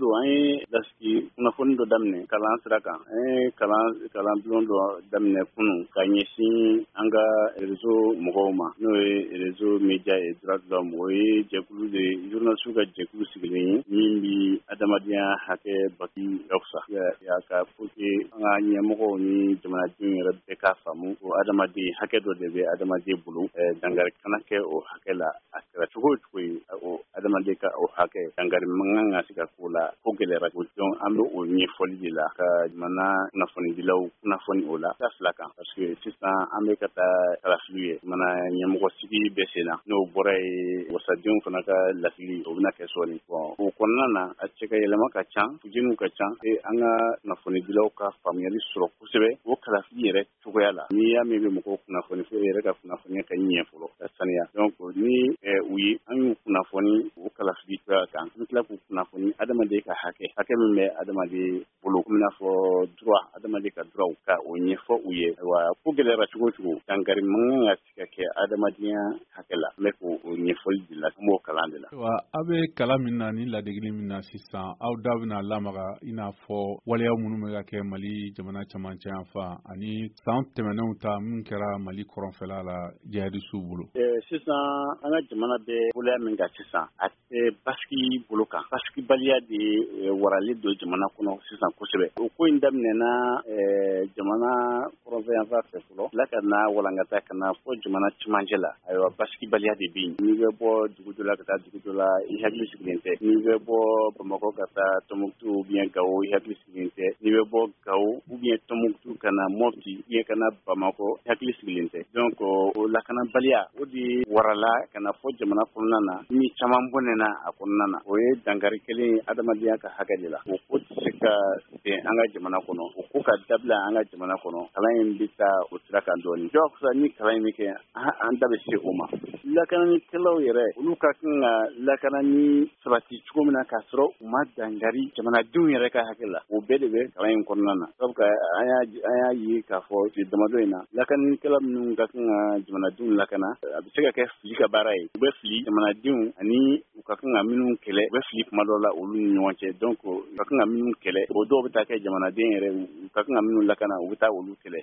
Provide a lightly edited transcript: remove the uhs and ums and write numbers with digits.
don, an ye lasigi kunnafoni dɔ daminɛ kalan sira kan. An ye kalan bulon dɔ daminɛ kunun ka ɲɛsin an ka réseau mɔgɔw ma, n'o ye Réseau Média et Droits de l'Homme. O ye jɛkulu de ye, journaliste ka jɛkulu sigilen ye min bi adamadenya hakɛ baki fisa ka pour que an ka ɲɛmɔgɔw ni jamanadenw yɛrɛ bɛɛ k'a faamu ko adamaden hakɛ dɔ de bɛ adamaden bolo, dankari kana kɛ o hakɛ la. A kɛra cogo o cogo ye, o adamaden ka o hakɛ, dankari man kan ka se ka k'o la. Ko gɛlɛyara ko, donc an bɛ o ɲɛfɔli de la ka jamana kunnafonidilaw kunnafoni o la ta fila kan, parce que sisan an bɛ ka taa kalafili ye, jamana ɲɛmɔgɔ sigi bɛ sen na. N'o bɔra ye, wasadenw fana ka lasigi, o bɛna kɛ sɔɔni. Bon, o kɔnɔna na, a cɛ ka yɛlɛma ka ca, fujeniw ka ca e an ka kunnafonidilaw ka faamuyali sɔrɔ kosɛbɛ o kalafili yɛrɛ cogoya la. N'i y'a mɛn i bɛ mɔgɔw kunnafoni, fo e yɛrɛ ka kunnafoniya ka ɲɛ fɔlɔ, ka saniya. Donc ni u ye an y'u kunnafoni o kalafili cogoya kan, an tila k'u kunnafoni adamaden ka hakɛ, hakɛ min bɛ adamaden bolo, komi n'a fɔ droit, adamaden ka droit, ka o ɲɛfɔ u ye. Wa ko gɛlɛyara cogo o cogo, dankari man kan ka se ka kɛ adamadenya hakɛ la. An bɛ k'o ɲɛfɔli de la, an b'o kalan de la. Wa aw bɛ kalan min na ni ladegeli min na sisan, aw da bɛna lamaga i n'a fɔ waleya minnu bɛ ka kɛ Mali jamana camancɛ yan fan ani san tɛmɛnenw ta min kɛra Mali kɔrɔnfɛla la jihadisiw bolo? Sisan an ka jamana bɛ waleya min kan sisan, a tɛ basigi bolo kan. Basigibaliya de waralen don jamana kɔnɔ sisan kosɛbɛ. O ko in daminɛna jamana kɔrɔnfɛ yanfan fɛ fɔlɔ la, ka na walankata ka na fɔ jamana cɛmancɛ la. Ayiwa, basigibaliya de bɛ yen. N'i bɛ bɔ dugu dɔ la ka taa dugu dɔ la, i hakili sigilen tɛ. N'i bɛ bɔ Bamakɔ ka taa Tɔnbukutu ou bien Gawo, i hakili sigilen tɛ. N'i bɛ bɔ Gawo ou bien Tɔnbukutu ka na Mɔpti ou bien ka na Bamakɔ, i hakili sigilen tɛ. Donc o lakanabaliya, o de warala ka na fɔ jamana kɔnɔna na, ni caman bɔnɛna a kɔnɔna na. O ye dankari kelen ye adamadenya ka hakɛ de la. O ko tɛ se ka bɛn an ka jamana kɔnɔ, o ko ka dabila an ka jamana kɔnɔ. Kalan in bɛ taa o sira kan dɔɔnin. Jagosa ni kalan in bɛ kɛ, an da bɛ se o ma. Lakananikɛlaw yɛrɛ, olu ka kan ka lakanani sabati cogo min na k'a sɔrɔ u ma dankari jamanadenw yɛrɛ ka hakɛ la, o bɛɛ de bɛ kalan in kɔnɔna na. Sabu an y'a ye k'a fɔ tile damadɔ in na, lakananikɛla minnu ka kan ka jamanadenw lakana, a bɛ se ka kɛ fili ka baara ye, u bɛ fili jamanadenw ani u ka kan ka minnu kɛlɛ, u bɛ fili kuma dɔ la olu ni ɲɔgɔn cɛ. Donc u ka kan ka minnu kɛlɛ, o dɔw bɛ taa kɛ jamanaden yɛrɛ, u ka kan ka minnu lakana, u bɛ taa olu kɛlɛ.